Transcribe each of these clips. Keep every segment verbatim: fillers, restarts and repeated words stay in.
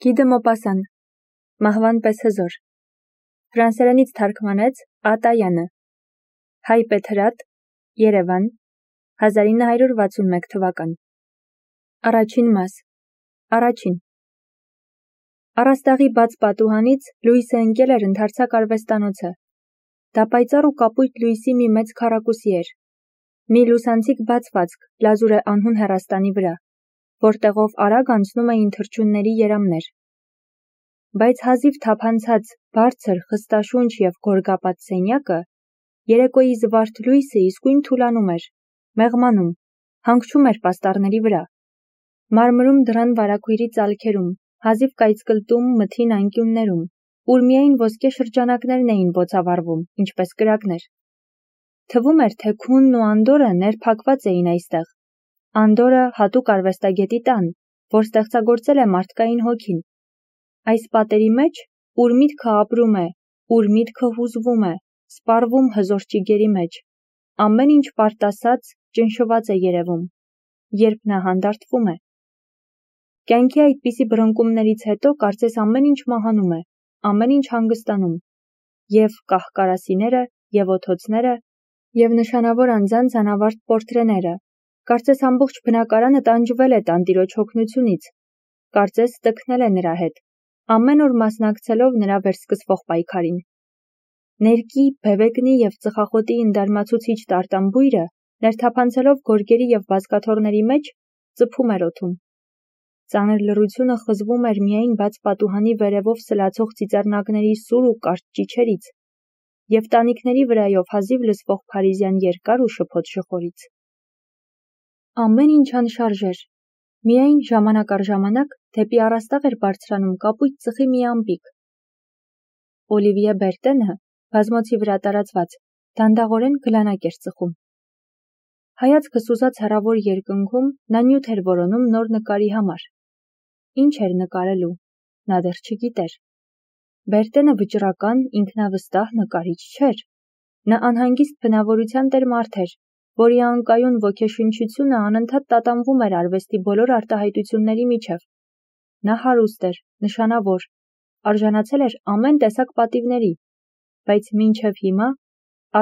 Guy de Maupassant, Մահվան պես հզոր, ֆրանսերենից թարգմանեց Ա. Տայանը, Հայ Պետհրատ, Երևան, հազար ինը հարյուր վաթսունմեկ թվական։ Առաջին մաս, առաջին։ Առաստաղի բաց պատուհանից Լուիսը ընկել էր ընդարձակ արվեստանոցը։ Դա պայծառ ու կապույտ լույսի մի մեծ քառակուսի էր։ Մի լուսանցիկ բացվածք լազուր է անհուն հեռաստանի վրա, որտեղով արագ անցնում էին թռչունների երամներ։ Բայց հազիվ թափանցած, բարձր, խստաշունչ և գորգապատ սենյակը, երեկոյի զվարթ լույսը իսկույն թուլանում էր, մեղմանում, հանգչում էր պաստառների վրա, մարմրում դռան վարագույրի ծալքերում, հազիվ կայծկլտում մթին անկյուններում, ուր միայն ոսկե շրջանակներն էին բոցավառվում, ինչպես կրակներ։ Թվում էր, թե քունն ու անդորրը ներփակված էին այստեղ։ Անդորրը հատուկ արվեստագետի տան, որ ստեղծագործել է մարդկային հոգին։ Այս պատերի մեջ, ուր միտքը ապրում է, ուր միտքը հուզվում է, սպառվում հզոր ճիգերի մեջ, ամեն ինչ պարտասած, ճնշված է երևում, երբ նա հանդարտվում է։ Կյանքի այդպիսի բռնկումներից հետո կարծես ամեն ինչ մահանում է, ամեն ինչ հանգստանում, և կահ-կարասիները, և օդոցները, և նշանավոր անձանց անավարտ պորտրեները, կարծես ամբողջ բնակարանը տանջվել է տանտիրոջ հոգնությունից, կարծես տքնել է նրա հետ, ամեն օր մասնակցելով նրա վերսկսվող պայքարին։ Ներկի, բևեգնի և ծխախոտի ընդարմացուցիչ տարտամբույրը, ներթափանցելով գորգերի և բազկաթոռների մեջ, ծփում էր օդում։ Ծանր լռությունը խզվում էր միայն բաց պատուհանի վերևով սլացող ծիծեռնակների սուր ու կարճ ճիչերից և տանիքների վրայով հազիվ լսվող փարիզյան երկար ու շփոթ շխորից։ Ամեն ինչ անշարժ էր, միայն ժամանակ առ ժամանակ դեպի առաստաղ էր բարձրանում կապույտ ծխի մի ամպիկ։ Օլիվիե Բերտենը, բազմոցի վրա տարածված, դանդաղորեն գլանակ էր ծխում։ Հայացքը սուզած հեռավոր երկնքում նա նյութ էր որոնում նոր նկարի համար։ Ինչ էր նկարելու, նա դեռ չգիտեր։ Բերտենը վճռական, ինքնավստահ նկարիչ չէր։ Նա անհանգիստ բնավորության տեր մարդ էր, որի անկայուն ոգեշնչությունը անընդհատ տատանվում էր արվեստի բոլոր արտահայտությունների միջև։ Նա հարուստ էր, նշանավոր, արժանացել էր ամեն տեսակ պատիվների, բայց մինչև հիմա,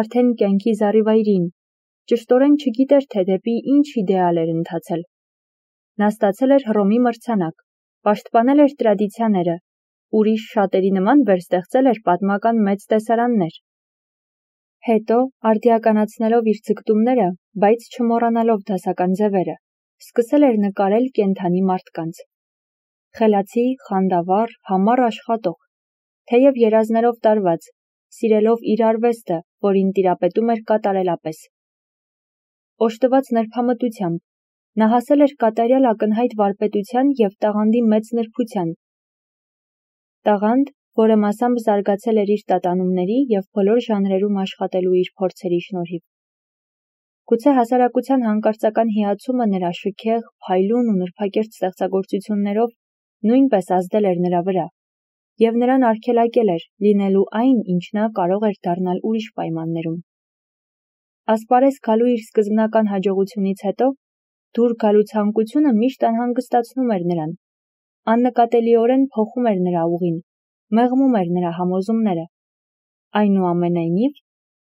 արդեն կյանքի զառիվայրին, ճշտորեն չգիտեր, թե դեպի ինչ իդեալ էր ընթացել։ Նա ստացել էր Հռոմի մրցանակ, պաշտպանել էր տրադիցիաները, ուրիշ շատերի նման վերստեղծել էր պատմական մեծ տեսարաններ։ Հետո, արդիականացնելով իր ձգտումները, բայց չմոռանալով դասական ձևերը, սկսել էր նկարել կենդանի մարդկանց։ Խելացի, խանդավառ, համառ աշխատող, թեև երազներով տարված, սիրելով իր արվեստը, որին տիրապետում էր կատարելապես։ Օժտված նրբամտությամբ, նա հասել էր կատարյալ ակնհայտ վարպետության և տաղանդի մեծ նրբության։ Տաղանդ, որը մասամբ զարգացել էր իր տատանումների և բոլոր ժանրերում աշխատելու իր փորձերի շնորհիվ։ Գուցե հասարակության հանկարծական հիացումը նրա շքեղ, փայլուն ու նրբակերտ ստեղծագործություններով նույնպես ազդել էր նրա վրա, և նրան արգելակել էր լինելու այն, ինչ նա կարող էր դառնալ ուրիշ պայմաններում։ Ասպարեզ գալու իր սկզբնական հաջողությունից հետո, դուր գալու ցանկությունը միշտ անհանգստացնում էր նրան, աննկատելիորեն փոխում էր նրա ուղին, մեղմում էր նրա համոզումները։ Այնուամենայնիվ,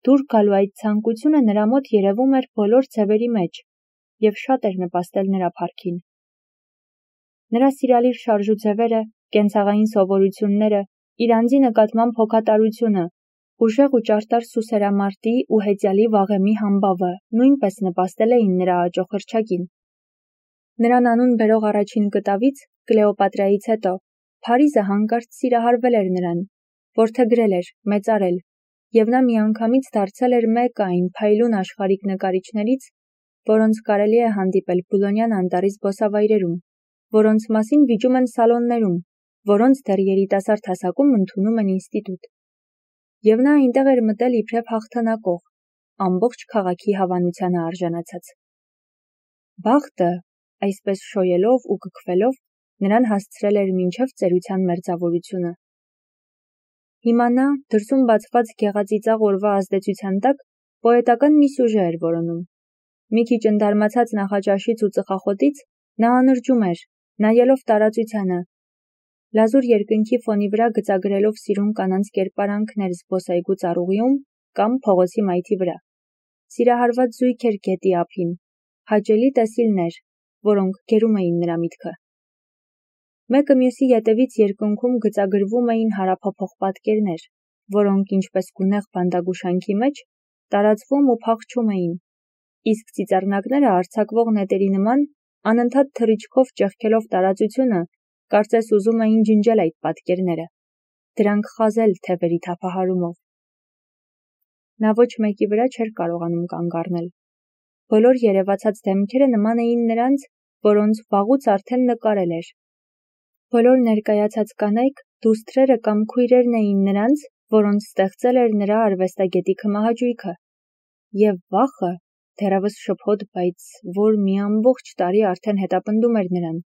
դուր գալու այդ ցանկությունը նրա մոտ երևում էր բոլոր ձևերի մեջ և շատ էր նպաստել նրա փառքին։ Նրա սիրալիր շարժուձևերը, կենցաղային սովորությունները, իր անձի նկատմամբ հոգատարությունը, ուժեղ ու ճարտար սուսերամարտի ու հեծյալի վաղեմի համբավը նույնպես նպաստել էին նրա աճոխրչակին։ Նրան անուն բերող առաջին կտավից, Կլեոպատրայից հետո, Փարիզը հանկարծ սիրահարվել էր նրան, որդեգրել էր, մեծարել, և նա միանգամից դարձել էր մեկը այն փայլուն աշխարհիկ նկարիչներից, որոնց կարելի է հանդիպել Բուլոնյան անտառի զբոսավայրերում, որոնց մասին վիճում են սալոններում, որոնց դեռ երիտասարդ հասակում ընդունում են ինստիտուտ։ Եվ նա այնտեղ էր մտել իբրև հաղթանակող, ամբողջ քաղաքի հավանությանը արժանացած։ Բախտը, այսպես շոյելով ու կքվելով, նրան հասցրել էր մինչև ծերության մերձավորությունը։ Հիմա նա, դրսում բացված գեղածիծաղ օրվա ազդեցության տակ, պոետական մի սյուժե էր որոնում։ Մի քիչ ընդարմացած նախաճաշից ու ծխախոտից, նա անրջում էր, նայելով տարածությանը, լազուր երկնքի ֆոնի վրա գծագրելով սիրուն կանանց կերպարանքներ զբոսայգու ծառուղիում կամ փողոցի մայթի վրա։ Սիրահարված զույգ էր գետի ափին, հաճելի տեսիլներ, որոնք գերում էին նրա միտքը։ Մեկը մյուսի ետևից երկնքում գծագրվում էին հարափոփող պատկերներ, որոնք ինչպես գունեղ բանդագուշանքի մեջ տարածվում ու փախչում էին, իսկ ծիծեռնակները արձակվող նետերի նման անընդհատ թռիչքով ճեղքելով տարածությունը, կարծես ուզում էին ջնջել այդ պատկերները, դրանք խազել թևերի թափահարումով։ Նա ոչ մեկի վրա չէր կարողանում կանգ առնել։ Բոլոր երևացած դեմքերը նման էին նրանց, որոնց վաղուց արդեն նկարել էր։ Բոլոր ներկայացած կանայք դուստրերը կամ քույրերն էին նրանց, որոնց ստեղծել էր նրա արվեստագետի քմահաճույքը։ Եվ վախը, դեռևս շփոթ, բայց որ մի ամբողջ տարի արդեն հետապնդում էր նրան,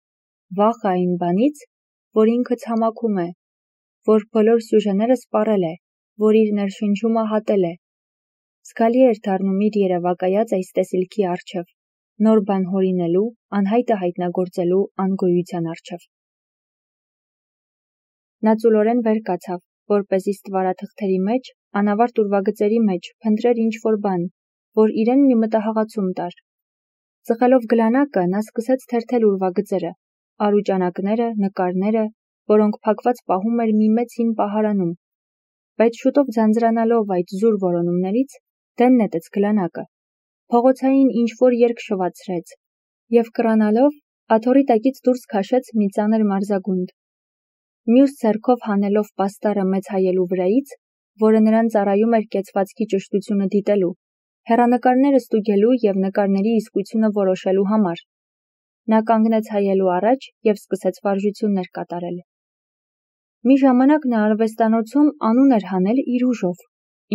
վախը այն բանից, որ ինքը ցամաքում է, որ բոլոր սյուժեները սպառել է, որ իր ներշնչումը հատել է։ Զգալի էր դառնում իր երևակայած այս տեսիլքի առջև, նոր բան հորինելու, անհայտը հայտնագործելու անգոյության առջև։ Նա ծուլորեն վեր կացավ, որպեսզի ստվարաթղթերի մեջ, անավարտ ուրվագծերի մեջ փնտրեր ինչ-որ բան, որ իրեն մի մտահղացում տար։ Ծխելով գլանակը, նա սկսեց թերթել ուրվագծերը, արուճանակները, նկարները, որոնք փակված պահում էր մի մեծ հին պահարանում։ Բայց շուտով ձանձրանալով այդ զուր որոնումներից, դեն նետեց գլանակը, փողոցային ինչ-որ երգ շվացրեց և կռանալով աթոռի տակից դուրս քաշեց մի ծանր մարզագունդ։ Մյուս ձեռքով հանելով պաստառը մեծ հայելու վրայից, որը նրան ծառայում էր կեցվածքի ճշտությունը դիտելու, հեռանկարները ստուգելու և նկարների իսկությունը որոշելու համար, նա կանգնեց հայելու առաջ և սկսեց վարժություններ կատարել։ Մի ժամանակ նա արվեստանոցում անուն էր հանել իր ուժով,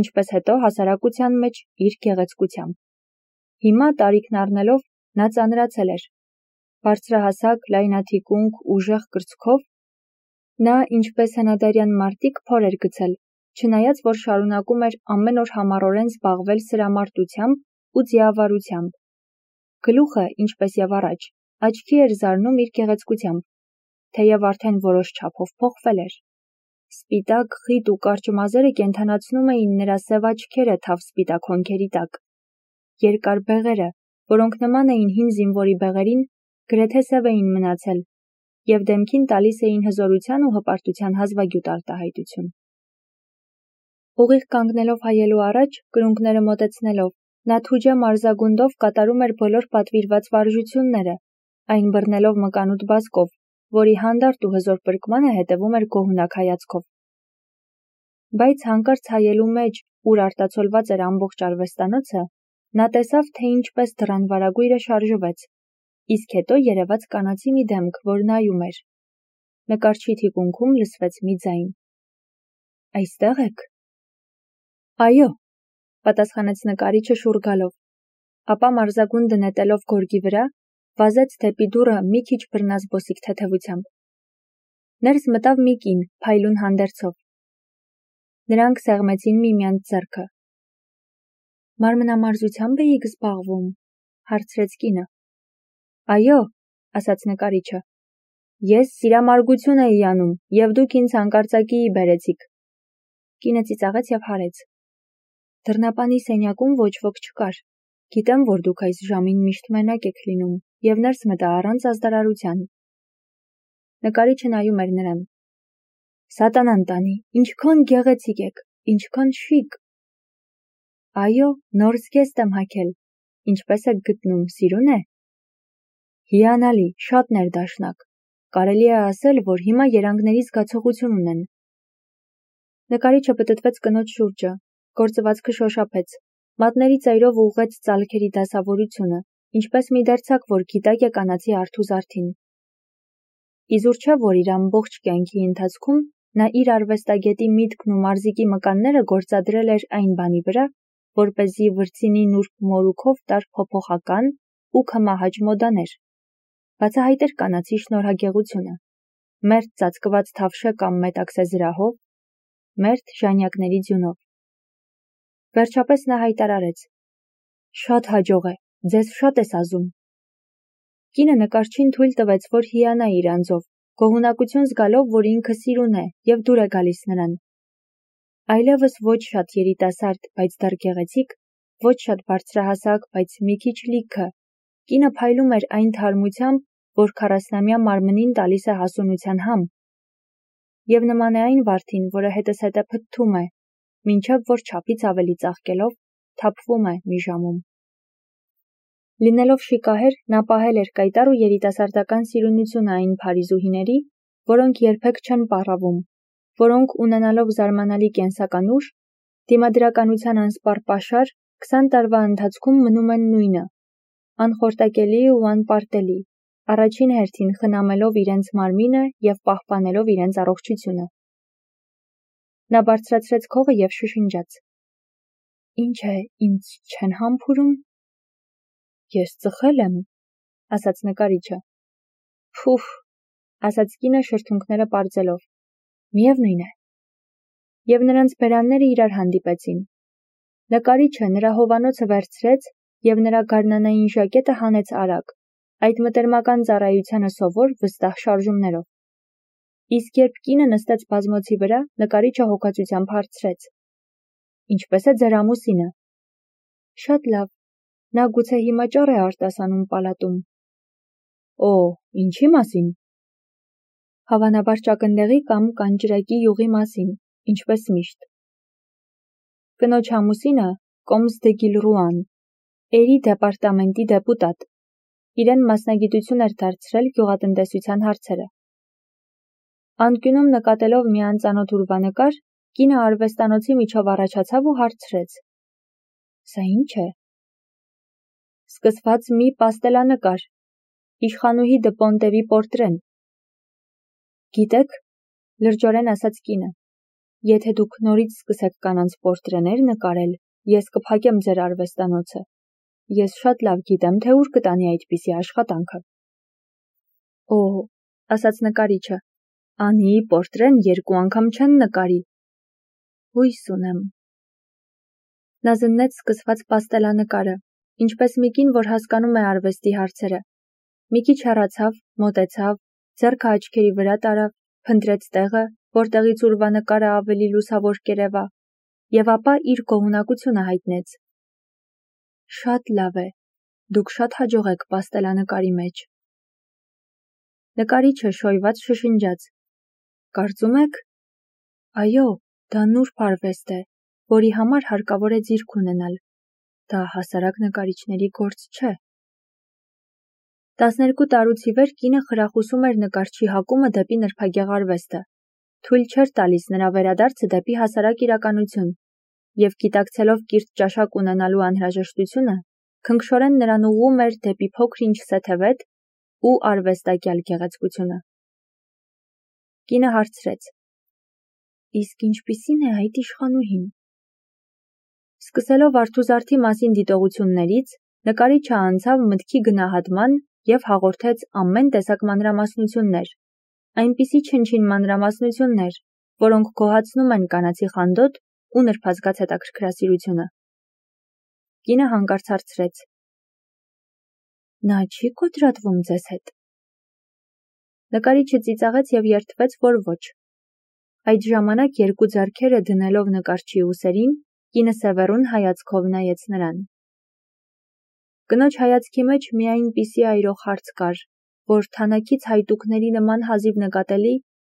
ինչպես հետո հասարակության մեջ իր գեղեցկությամբ։ Հիմա տարիքն առնելով նա ծանրացել էր։ Բարձրահասակ, լայնաթիկունք, ուժեղ կրծքով նա, ինչպես հնադարյան մարտիկ, փոր էր գցել, չնայած որ շարունակում էր ամեն օր համառորեն զբաղվել սրամարտությամբ ու ձիավարությամբ։ Գլուխը, ինչպես և առաջ, աչքի էր զարնում իր գեղեցկությամբ, թեև արդեն որոշ չափով փոխվել էր։ Սպիտակ, խիտ ու կարճ մազերը կենդանացնում էին նրա սև աչքերը թավսպիտակ հոնքերի տակ։ Երկար բեղերը, որոնք նման էին հին զինվորի բեղերին, գրեթե սև էին մնացել և դեմքին տալիս էին հզորության ու հպարտության հազվագյուտ արտահայտություն։ Ուղիղ կանգնելով հայելու առաջ, կրունկները մոտեցնելով, նա թուջե մարզագունդով կատարում էր բոլոր պատվիրված վարժությունները, այն բռնելով մկանուտ բազկով, որի հանդարտ ու հզոր պրկմանը հետևում էր գոհունակ հայացքով։ Բայց հանկարծ հայելու մեջ, ուր արտացոլված էր ամբողջ արվեստանոցը, նա տեսավ, թե ինչպես դռան վարագույրը շարժվեց, իսկ հետո երևաց կանացի մի դեմք, որ նայում էր։ Նկարչի թիկունքում լսվեց մի ձայն. «Այստե՞ղ եք»։ «Այո», պատասխանեց նկարիչը շուռ գալով, ապա մարզագունդը նետելով գորգի վրա, վազեց դեպի դուռը մի քիչ բռնազբոսիկ թեթևությամբ։ Ներս մտավ մի կին, փայլուն հանդերձով։ Նրանք սեղմեցին միմյանց ձեռքը։ «Մարմնամարզությամբ էիք զբաղվում», հարցրեց կինը։ «Այո», ասաց նկարիչը, «ես սիրամարգություն էի անում, և դուք ինձ հանկարծակիի բերեցիք»։ Կինը ծիծաղեց և հարեց։ «Դռնապանի սենյակում ոչ ոք չկար։ Գիտեմ, որ դուք այս ժամին միշտ մենակ եք լինում, և ներս մտա առանց ազդարարության»։ Նկարիչը նայում էր նրան։ «Սատանան տանի, ինչքան գեղեցիկ եք, ինչքան շիկ»։ «Այո, նոր զգեստ եմ հագել, ինչպես եք գտնում, սիրուն է»։ «Հիանալի, շատ ներդաշնակ, կարելի է ասել, որ հիմա երանգների զգացողություն ունեն»։ Նկարիչը պտտվեց կնոջ շուրջը, գործվածքը շոշափեց, մատների ծայրով ուղղեց ծալքերի դասավորությունը, ինչպես մի դերձակ, որ գիտակ է կանացի արթու զարդին։ Իզուր չէ, որ իր ամբողջ կյանքի ընթացքում նա իր արվեստագետի միտքն ու մարզիկի մկանները գործադրել էր այն բանի վրա, որպեսզի վրձինի նուրբ մորուքով տար փոփոխական ու քմահաճ մոդաներ, բացահայտեր կանացի շնորհագեղությունը, մերթ ծածկված թավշե կամ մետաքսե զրահով, մերթ ժանյակների ձյունով։ Վերջապես նա հայտարարեց. «Շատ հաջող է, ձեզ շատ ես ազում»։ Կինը նկարչին թույլ տվեց, որ հիանա իր անձով, գոհունակություն զգալով, որ ինքը սիրուն է և դուր է գալիս նրան։ Այլևս ոչ շատ երիտասարդ, բայց դեռ գեղեցիկ, ոչ շատ բարձրահասակ, բայց մի քիչ լիքը, կինը փայլում էր այն թարմությամբ, որ քառասնամյա մարմնին տալիս է հասունության համ, և նման է այն վարդին, որը հետզհետե փթթում է, մինչև որ չափից ավելի ծաղկելով, թափվում է մի ժամում։ Լինելով շիկահեր, նա պահել էր կայտառ ու երիտասարդական սիրունությունը այն փարիզուհիների, որոնք երբեք չեն պառավում, որոնք ունենալով զարմանալի կենսական ուժ, դիմադրականության անսպառ պաշար, քսան տարվա ընթացքում մնում են նույնը, անխորտակելի ու անպարտելի, առաջին հերթին խնամելով իրենց մարմինը և պահպանելով իրենց առողջությունը։ Նա բարձրացրեց քողը և շշնջաց. «Ինչ է, ինձ չեն համբուրում»։ «Ես ծխել եմ», ասաց նկարիչը։ «Փուֆ», ասաց կինը շրթունքները պարզելով, «միևնույն է»։ Եվ նրանց բերանները իրար հանդիպեցին։ Նկարիչը նրա հովանոցը վերցրեց և նրա գարնանային ժակետը հանեց արագ, այդ մտերմական ծառայությանը սովոր վստահ շարժումներով։ Իսկ երբ կինը նստեց բազմոցի վրա, նկարիչը հոգածությամբ հարցրեց. «Ինչպե՞ս է ձեր ամուսինը»։ «Շատ լավ, նա գուցե հիմա ճառ է արտասանում պալատում»։ «Օ, ինչի՞ մասին»։ «Հավանաբար ճակնդեղի կամ կանճրակի յուղի մասին, ինչպես միշտ»։ Կնոջ ամուսինը կոմս դե Գիլռուան, Էրի դեպարտամենտի դեպուտատ, իրեն մասնագիտություն էր դարձրել գյուղատնտեսության հարցերը։ Անկյունում նկատելով մի անծանոթ ուրվանկար, կինը արվեստանոցի միջով առաջացավ ու հարցրեց. «Սա ի՞նչ է»։ «Սկսված մի պաստելանկար, իշխանուհի դը Պոնտևի պորտրեն»։ «Գիտեք», լրջորեն ասաց կինը, «եթե դուք նորից սկսեք կանանց պորտրեներ նկարել, ես կփակեմ ձեր արվեստանոցը։ Ես շատ լավ գիտեմ, թե ուր կտանի այդպիսի աշխատանքը»։ «Օ», ասաց նկարիչը, «Անիի պորտրեն երկու անգամ չեն նկարի»։ «Հույս ունեմ»։ Նա զննեց սկսված պաստելանկարը, ինչպես մի կին, որ հասկանում է արվեստի հարցերը։ Մի քիչ հեռացավ, մոտեցավ, ձեռքը աչքերի վրա տարավ, փնտրեց տեղը, որտեղից ուրվանկարը ավելի լուսավոր կերևա, և ապա իր գոհունակությունը հայտնեց. «Շատ լավ է, դուք շատ հաջող եք պաստելանկարի մեջ»։ Նկարիչը շոյված շշնջաց. «Կարծում եք»։ «Այո, դա նուրբ արվեստ է, որի համար հարկավոր է ձիրք ունենալ, դա հասարակ նկարիչների գործ չէ»։ Տասներկու տարուց ի վեր կինը խրախուսում էր նկարչի հակումը դեպի նրբագեղ արվեստը, թույլ չէր տալիս նրա վերադարձը դեպի հասարակ իրականություն, և գիտակցելով կիրթ ճաշակ ունենալու անհրաժեշտությունը, քնքշորեն նրան ուղղում էր դեպի փոքր-ինչ սեթևետ ու արվեստակյալ գեղեցկությունը։ Կինը հարցրեց. «Իսկ ինչպիսի՞ն է այդ իշխանուհին»։ Սկսելով արթուզարդի մասին դիտողություններից, նկարիչը անցավ մտքի գնահատման և հաղորդեց ամեն տեսակ մանրամասնություններ, այնպիսի չնչին մանրամասնություններ, որոնք գոհացնում են կանացի խանդոտ ու նրբազգաց հետաքրքրասիրությունը։ Կինը հանկարծ հարցրեց. «Նա չի՞ կոտրատվում ձեզ հետ»։ Նկարիչը ծիծաղեց և երդվեց, որ ոչ։ Այդ ժամանակ երկու ձեռքերը դնելով նկարչի ուսերին, կինը սևեռուն հայացքով նայեց նրան։ Կնոջ հայացքի մեջ մի այնպիսի այրող հարց կար, որ թանաքից հայտուկների նման հազիվ նկատելի,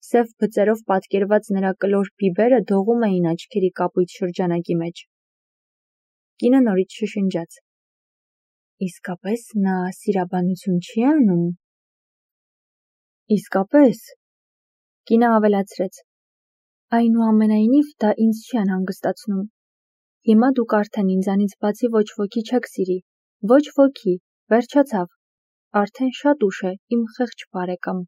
սև բծերով պատկերված նրա կլոր բիբերը դողում էին աչքերի կապույտ շրջանակի մեջ։ Կինը նորից շշնջաց. «Իսկապես նա սիրաբանություն չի անում»։ «Իսկապես», կինը ավելացրեց, «այնուամենայնիվ դա ինձ չի անհանգստացնում։ Հիմա դուք արդեն ինձանից բացի ոչ ոքի չեք սիրի, ոչ ոքի, վերջացավ, արդեն շատ ուշ է, իմ խեղճ բարեկամ»։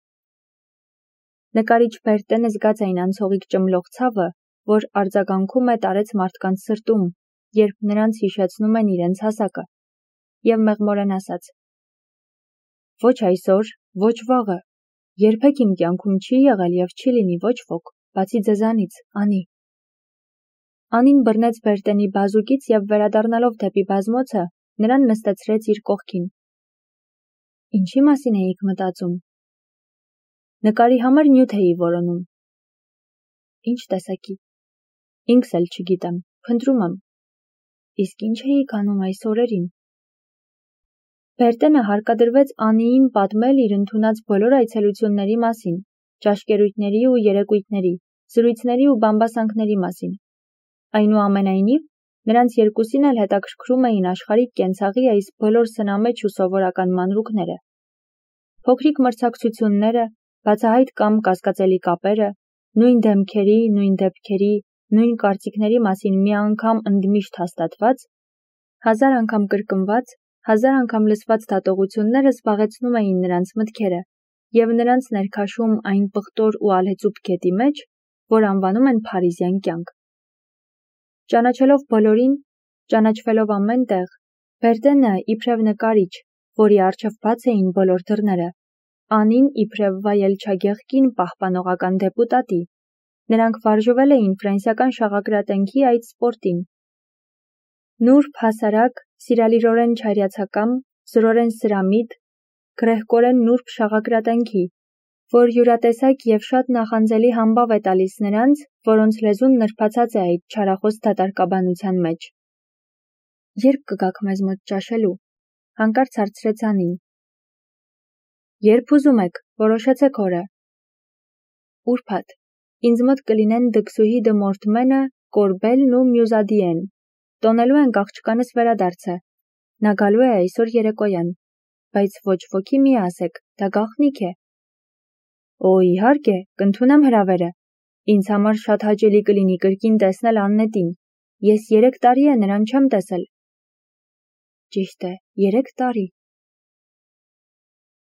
Նկարիչ Բերտենը զգաց այն անցողիկ ճմլող ցավը, որ արձագանքում է տարեց մարդկանց սրտում, երբ նրանց հիշեցնում են իրենց հասակը, և մեղմորեն ասաց. «Ոչ այսօր, ոչ վաղը, երբեք իմ կյանքում չի եղել և չի լինի ոչ ոք, բացի ձեզանից, Անի»։ Անին բռնեց Բերտենի բազուկից և վերադառնալով դեպի բազմոցը, նրան նստեցրեց իր կողքին։ «Ինչի՞ մասին էիք մտածում»։ Նկարի համար նյութ էի որոնում։ Ինչ տեսակի։ Ինքս էլ չգիտեմ, փնտրում եմ։ Իսկ ինչ էի անում այս օրերին։ Բերտենը հարկադրվեց Անիին պատմել իր ընդունած բոլոր այցելությունների մասին, ճաշկերույթների ու երեկույթների, զրույցների ու բամբասանքների մասին։ Այնուամենայնիվ, նրանց երկուսին էլ հետաքրքրում էին աշխարհիկ կենցաղի այս բոլոր սնամեջ ու սովորական մանրուքները։ Փոքրիկ մրցակցությունները, բացահայտ կամ կասկածելի կապերը, նույն դեմքերի, նույն դեպքերի, նույն կարծիքների մասին մի անգամ ընդմիշտ հաստատված, հազար անգամ կրկնված, հազար անգամ լսված դատողությունները զբաղեցնում էին նրանց մտքերը և նրանց ներքաշում այն պղտոր ու ալհեցուփ գետի մեջ, որ անվանում են փարիզյան կյանք։ Ճանաչելով բոլորին, ճանաչվելով ամեն տեղ, Բերտենը իբրև նկարիչ, որի առջև բաց էին բոլոր դռները, Անին իբրև վայելչագեղ կին պահպանողական դեպուտատի, նրանք վարժվել էին ֆրանսիական շաղակրատենքի այդ սպորտին։ Նուրբ, հասարակ, սիրալիրորեն չայրացակամ, զրորեն սրամիտ, գրեհկորեն նուրբ շաղակրատենքի, որ յուրատեսակ և շատ նախանձելի համբավ է տալիս նրանց, որոնց լեզուն նրբացած է այդ չարախոս դատարկաբանության մեջ։ Երբ կգաք մեզ մոտ ճաշելու, հանկարծ հարցրեց Անին։ Երբ ուզում եք, որոշեցեք օրը։ Ուրբաթ, ինձ մոտ կլինեն դքսուհի դը Մորտմենը, Կորբելն ու Մյուզադիեն, տոնելու ենք աղջկանս վերադարձը, նա գալու է այսօր երեկոյան, բայց ոչ ոքի մի ասեք, դա գաղտնիք է։ Օ, իհարկե, կընդունեմ հրավերը, ինձ համար շատ հաճելի կլինի կրկին տեսնել Աննետին, ես երեք տարի է նրան չեմ տեսել։ Ճիշտ է, երեք տարի։